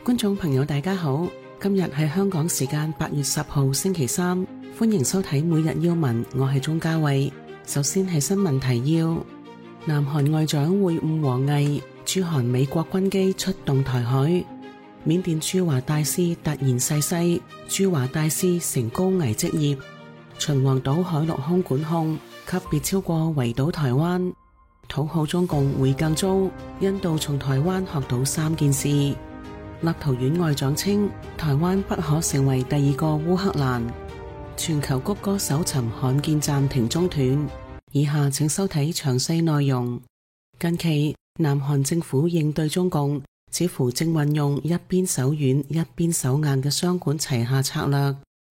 觀眾朋友大家好，今日係香港時間8月10號星期三，歡迎收睇每日要聞，我係鍾嘉慧。首先係新聞提要：南韓外長會晤王毅，駐韓美國軍機出動台海；緬甸駐華大使突然逝世，駐華大使成高危職業；秦皇島海陸空管控級別超過圍堵台灣；討好中共會更糟，印度從台灣學到3件事；立陶宛外長稱台灣不可成為第二個烏克蘭；全球谷歌搜尋罕見暫停中斷。以下請收睇詳細內容。近期南韓政府應對中共，似乎正運用一邊手軟一邊手硬嘅雙管齊下策略。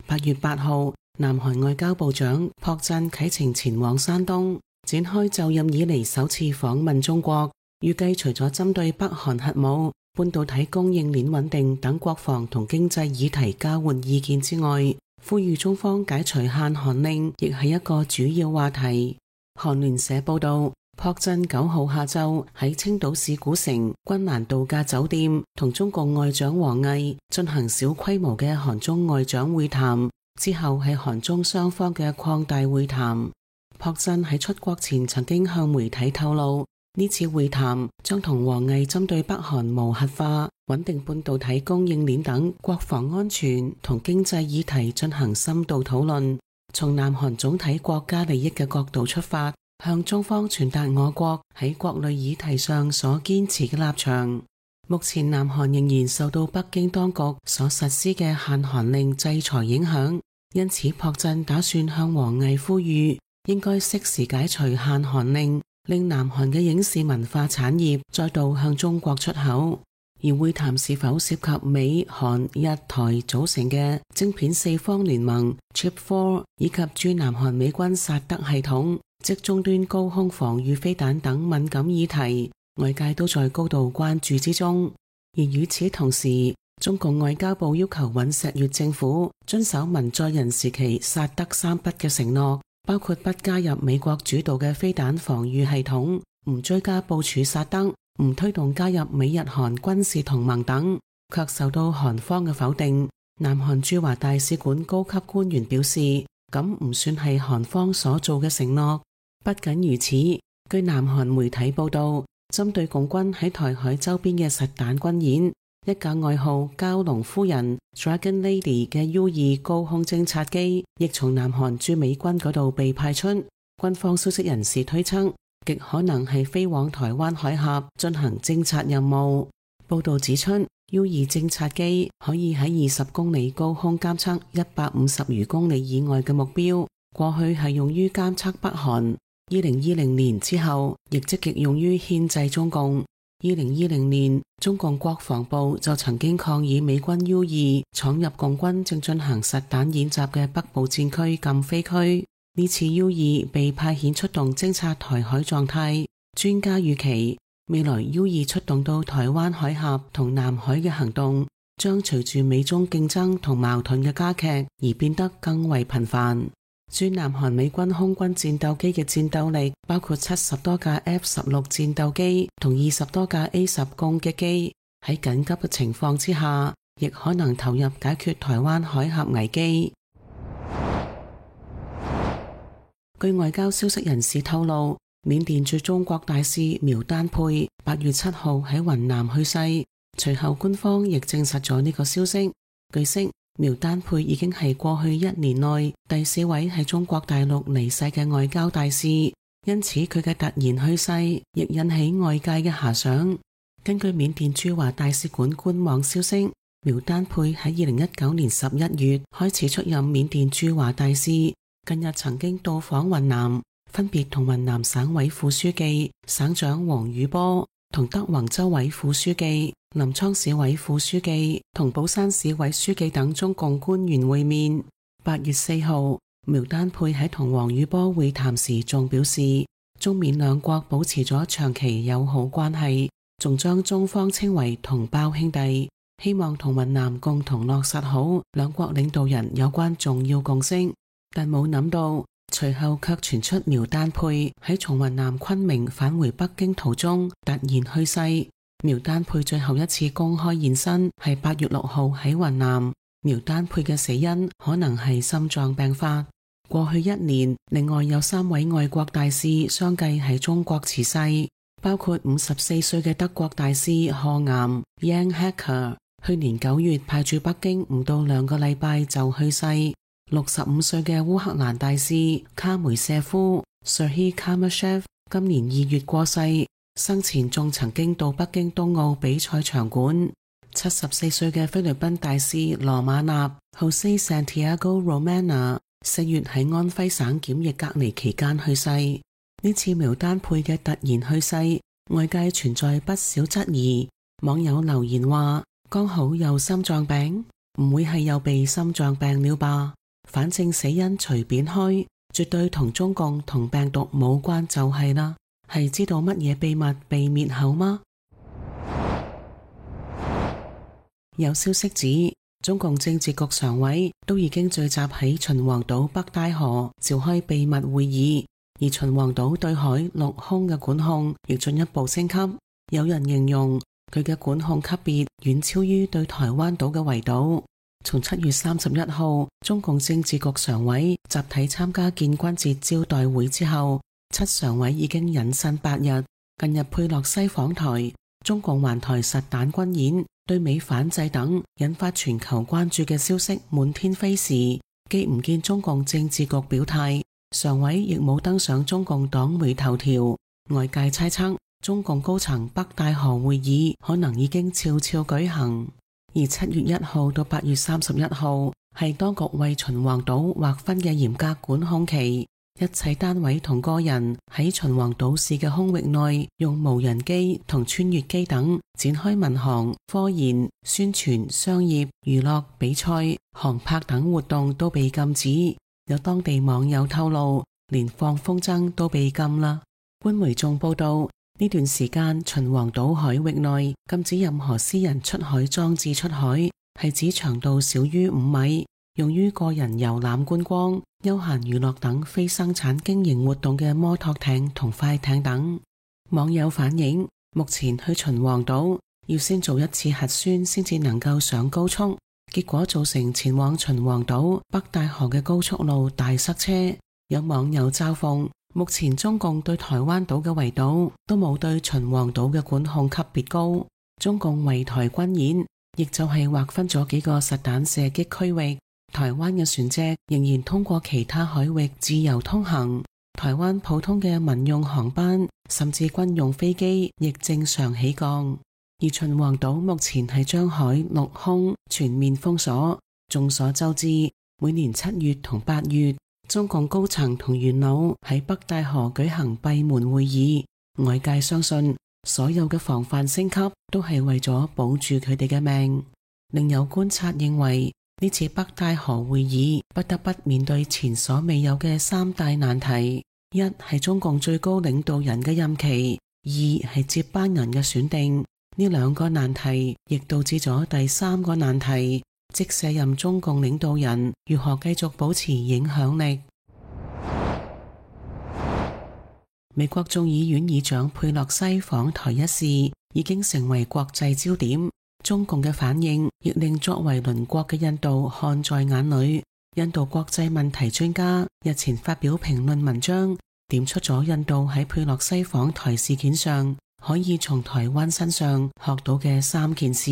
8月8號，南韓外交部長朴振啟程前往山東，展開就任以嚟首次訪問中國。預計除咗針對北韓核武、半導體供應鏈穩定等國防同經濟議題交換意見之外，呼籲中方解除限韓令，亦係一個主要話題。韓聯社報道，朴振9號下晝喺青島市古城君蘭度假酒店同中共外長王毅進行小規模嘅韓中外長會談，之後係韓中雙方嘅擴大會談。朴振喺出國前曾經向媒體透露，呢次會談將同王毅針對北韓無核化、穩定半導體供應鏈等國防安全同經濟議題進行深度討論，從南韓總體國家利益嘅角度出發，向中方傳達我國喺國內議題上所堅持嘅立場。目前南韓仍然受到北京當局所實施嘅限韓令制裁影響，因此朴振打算向王毅呼籲，應該適時解除限韓令，令南韓嘅影視文化產業再度向中國出口。而會談是否涉及美、韓、日、台組成嘅晶片4方聯盟 Chip 4， 以及駐南韓美軍薩德系統，即終端高空防禦飛彈等敏感議題，外界都在高度關注之中。而與此同時，中共外交部要求尹錫悅政府遵守文在寅時期薩德3不嘅承諾，包括不加入美國主導嘅飛彈防禦系統，唔追加部署薩德，唔推動加入美日韓軍事同盟等，卻受到韓方嘅否定。南韓駐華大使館高級官員表示，咁唔算係韓方所做嘅承諾。不僅如此，據南韓媒體報道，針對共軍喺台海周邊嘅實彈軍演，一架外號蛟龍夫人 Dragon Lady 嘅 U2 高空偵察機，亦從南韓駐美軍嗰度被派出。軍方消息人士推測，極可能係飛往台灣海峽進行偵察任務。報道指出， U2 偵察機可以喺20公里高空監測150餘公里以外嘅目標，過去係用於監測北韓。2020年之後，亦積極用於牽制中共。2020年，中共國防部就曾經抗議美軍 U2 闖入共軍正進行實彈演習嘅北部戰區禁飛區。呢次 U2 被派遣出動偵察台海狀態，專家預期未來 U2 出動到台灣海峽同南海嘅行動，將隨住美中競爭同矛盾嘅加劇而變得更為頻繁。駐南韓美軍空軍戰鬥機嘅戰鬥力包括70多架 F-16 戰鬥機同20多架 A-10 攻擊機，喺緊急嘅情況之下，亦可能投入解決台灣海峽危機。據外交消息人士透露，緬甸駐中國大使苗丹佩8月7號喺雲南去世，隨後官方亦證實咗呢個消息。據悉，苗丹佩已經係過去1年內第4位喺中國大陸離世嘅外交大使，因此佢嘅突然去世亦引起外界嘅遐想。根據緬甸駐華大使館官網消息，苗丹佩喺2019年11月開始出任緬甸駐華大使，近日曾經到訪雲南，分別同雲南省委副書記、省長王宇波同德宏州委副書記、臨滄市委副書記同寶山市委書記等中共官員會面。8月4號，苗丹佩喺同王宇波會談時仲表示，中緬兩國保持咗長期友好關係，仲將中方稱為同胞兄弟，希望同雲南共同落實好兩國領導人有關重要共識。但冇諗到，隨後卻傳出苗丹佩喺從雲南昆明返回北京途中突然去世，苗丹佩最後一次公開現身係8月6號喺雲南。苗丹佩嘅死因可能係心臟病發。過去1年，另外有3位外國大使相繼喺中國辭世，包括54歲嘅德國大使賀岩 Jan Hacker， 去年9月派駐北京唔到2個禮拜就去世。65歲嘅烏克蘭大使卡梅舍夫 Serhiy Kamashev 今年2月過世，生前仲曾經到北京冬奧比賽場館。74歲嘅菲律賓大使羅馬納 Jose Santiago Romana 4月喺安徽省檢疫隔離期間去世。呢次苗丹佩嘅突然去世，外界存在不少質疑。網友留言話：剛好有心臟病，唔會係又被心臟病了吧？反正死因隨便開，絕對同中共同病毒冇關就係啦。係知道乜嘢秘密被滅口嗎？有消息指，中共政治局常委都已經聚集喺秦皇島北戴河召開秘密會議，而秦皇島對海陸空嘅管控亦進一步升級。有人形容佢嘅管控級別遠超於對台灣島嘅圍堵。從7月31號中共政治局常委集體參加建軍節招待會之後，7常委已經隱身8日。近日佩洛西訪台，中共環台實彈軍演、對美反制等引發全球關注嘅消息滿天飛時，既唔見中共政治局表態，常委亦冇登上中共黨媒頭條。外界猜測中共高層北戴河會議可能已經悄悄舉行。而7月1號到8月31號係當局為秦皇島劃分嘅嚴格管控期，一切單位同個人喺秦皇島市嘅空域內用無人機同穿越機等展開民航、科研、宣傳、商業、娛樂、比賽、航拍等活動都被禁止。有當地網友透露，連放風箏都被禁啦。官媒仲報道，呢段時間秦皇島海域內禁止任何私人出海裝置出海，係指長度少於5米，用於個人遊覽觀光、休閒娛樂等非生產經營活動嘅摩托艇同快艇等。網友反映，目前去秦皇島要先做一次核酸先至能夠上高速，結果造成前往秦皇島北戴河嘅高速路大塞車。有網友嘲諷，目前中共對台灣島嘅圍堵都冇對秦皇島嘅管控級別高。中共圍台軍演亦就係劃分咗幾個實彈射擊區域，台灣嘅船隻仍然通過其他海域自由通行，台灣普通嘅民用航班甚至軍用飛機亦正常起降。而秦皇島目前係將海陸空全面封鎖。眾所周知，每年7月同8月中共高層同元老喺北戴河舉行閉門會議，外界相信所有嘅防範升級都係為咗保住佢哋嘅命。另有觀察認為，呢次北戴河會議不得不面對前所未有嘅3大難題：一係中共最高領導人嘅任期，二係接班人嘅選定。呢2個難題亦導致咗第3個難題，即卸任中共領導人如何繼續保持影響力。美國眾議院議長佩洛西訪台一事已經成為國際焦點，中共嘅反應亦令作為鄰國嘅印度看在眼裏。印度國際問題專家日前發表評論文章，點出咗印度喺佩洛西訪台事件上可以從台灣身上學到嘅3件事。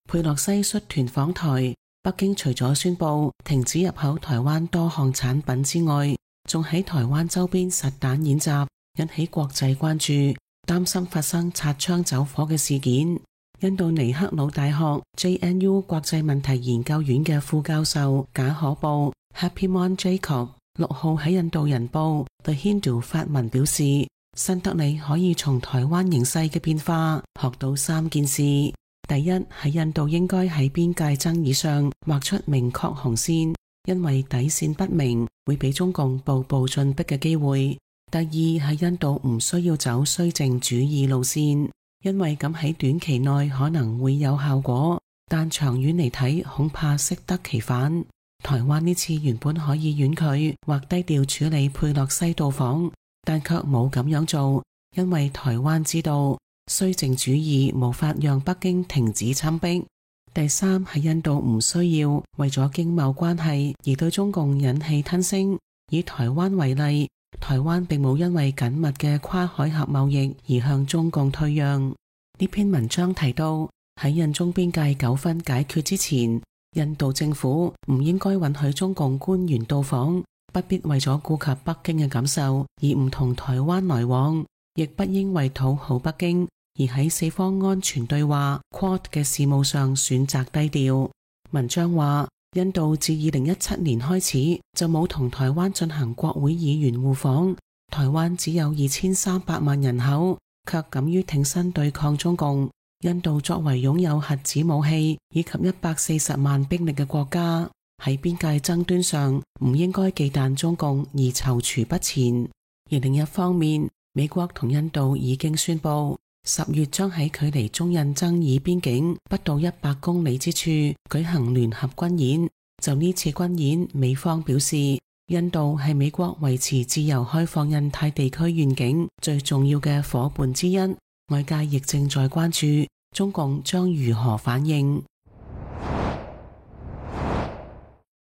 佩洛西率團訪台，北京除咗宣布停止入口台灣多項產品之外，仲喺台灣周邊實彈演習，引起國際關注，擔心發生擦槍走火嘅事件。印度尼克魯大學 JNU 國際問題研究院嘅副教授賈可布 Happymon Jacob 6號喺印度人報 The Hindu 發文表示，新德里可以從台灣形勢嘅變化學到3件事。第一，喺印度應該喺邊界爭議上畫出明確紅線，因為底線不明會俾中共步步進逼嘅機會。第二，喺印度唔需要走綏靖主義路線，因為咁喺短期內可能會有效果，但長遠嚟睇恐怕適得其反。台灣呢次原本可以婉拒或低調處理佩洛西到訪，但卻冇咁樣做，因為台灣知道綏靖主義無法讓北京停止侵逼。第三係印度唔需要為咗經貿關係而對中共忍氣吞聲。以台灣為例，台灣並冇因為緊密嘅跨海峽貿易而向中共退讓。呢篇文章提到，喺印中邊界糾紛解決之前，印度政府唔應該允許中共官員到訪，不必為咗顧及北京嘅感受而唔同台灣來往，亦不應為討好北京而喺四方安全對話 Quad 嘅事務上選擇低調。文章話，印度自2017年開始就冇同台灣進行國會議員互訪，台灣只有2300萬人口，卻敢於挺身對抗中共。印度作為擁有核子武器以及140萬兵力嘅國家，喺邊界爭端上唔應該忌憚中共而躊躇不前。而另一方面，美國同印度已經宣布10月將喺距離中印爭議邊境不到100公里之處舉行聯合軍演。就呢次軍演，美方表示，印度係美國維持自由開放印太地區願景最重要嘅夥伴之一。外界亦正在關注中共將如何反應。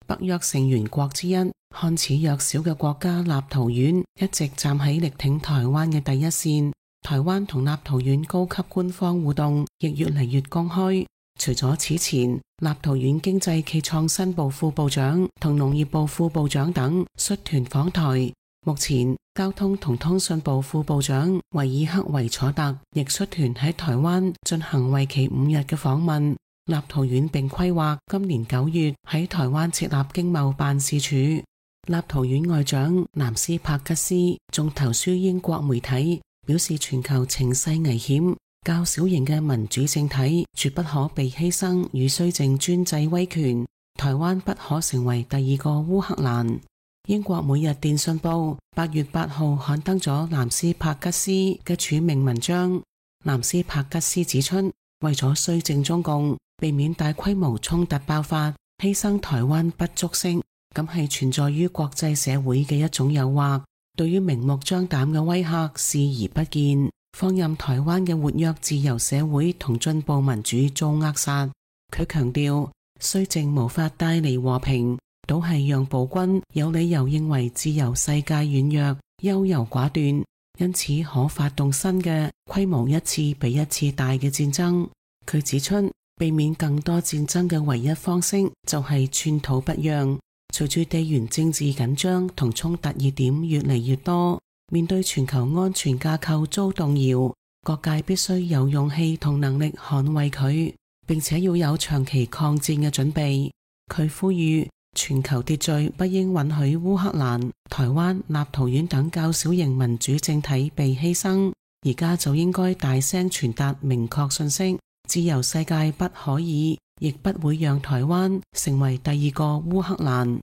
北約成員國之一，看似弱小嘅國家立陶宛一直站喺力挺台灣嘅第一線。台灣同立陶宛高級官方互動亦越嚟越公開。除咗此前，立陶宛經濟暨創新部副部長同農業部副部長等率團訪台，目前交通同通訊部副部長維爾克維楚特亦率團喺台灣進行為期5日嘅訪問。立陶宛並規劃今年9月喺台灣設立經貿辦事處。立陶宛外長南斯帕吉斯仲投書英國媒體，表示全球情勢危險，較小型嘅民主政體絕不可被犧牲與綏靖專制威權，台灣不可成為第二個烏克蘭。英國每日電訊報8月8號刊登咗南斯帕吉斯嘅署名文章。南斯帕吉斯指出，為咗綏靖中共，避免大規模衝突爆發，犧牲台灣不足惜，咁係存在於國際社會嘅一種誘惑。對於明目張膽嘅威嚇視而不見，放任台灣嘅活躍自由社會同進步民主遭扼殺。佢強調，綏靖無法帶嚟和平，倒係讓暴君有理由認為自由世界軟弱、優柔寡斷，因此可發動新嘅規模一次比一次大嘅戰爭。佢指出，避免更多戰爭嘅唯一方式就係寸土不讓。隨住地緣政治緊張同衝突熱點越嚟越多，面對全球安全架構遭動搖，各界必須有勇氣同能力捍衛佢，並且要有長期抗戰嘅準備。佢呼籲全球秩序不應允許烏克蘭、台灣、立陶宛等較小型民主政體被犧牲，而家就應該大聲傳達明確信息：自由世界不可以，亦不會讓台灣成為第二個烏克蘭。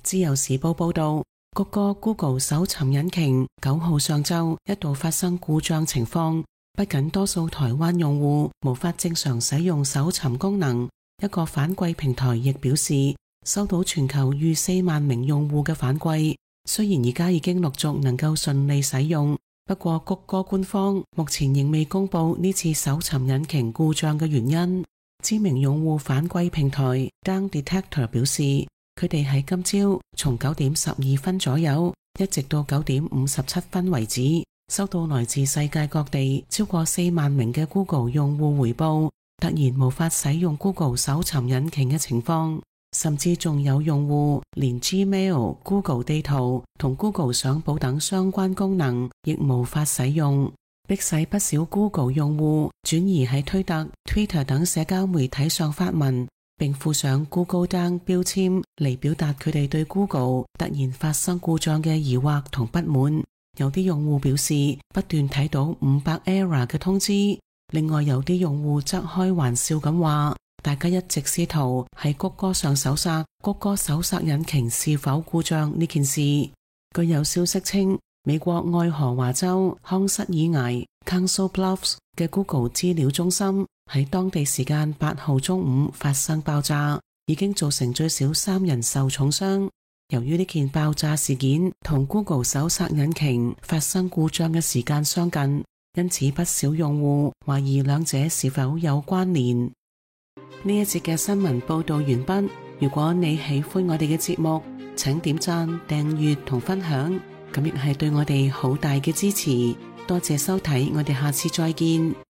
自由時報報道，谷歌 Google 搜尋引擎9號上晝一度發生故障情況，不僅多數台灣用戶無法正常使用搜尋功能，一個反饋平台亦表示收到全球逾4萬名用戶嘅反饋。雖然而家已經陸續能夠順利使用，不過谷歌官方目前仍未公布呢次搜尋引擎故障嘅原因。知名用戶反饋平台 Down Detector 表示，佢哋喺今朝從9點12分左右一直到9點57分為止，收到來自世界各地超過4萬名嘅 Google 用戶回報突然無法使用 Google 搜尋引擎嘅情況，甚至仲有用戶連 Gmail、Google 地圖同 Google 相簿等相關功能亦無法使用，迫使不少 Google 用戶轉移喺推特、Twitter 等社交媒體上發文，並附上 Google Down 標籤嚟表達佢哋對 Google 突然發生故障嘅疑惑同不滿。有啲用戶表示不斷睇到500 error 嘅通知，另外有啲用戶則開玩笑咁話，大家一直試圖喺谷歌上搜索谷歌搜索引擎是否故障呢件事。據有消息稱，美國愛荷華州康瑟爾艾 Council Bluffs 嘅 Google 資料中心喺當地時間8號中午發生爆炸，已經造成最少3人受重傷。由於呢件爆炸事件同 Google 搜索引擎發生故障嘅時間相近，因此不少用戶懷疑兩者是否有關聯。呢一節嘅新聞報道完畢。如果你喜歡我哋嘅節目，請點讚、訂閱同分享，咁亦係對我哋好大嘅支持。多謝收睇，我哋下次再見。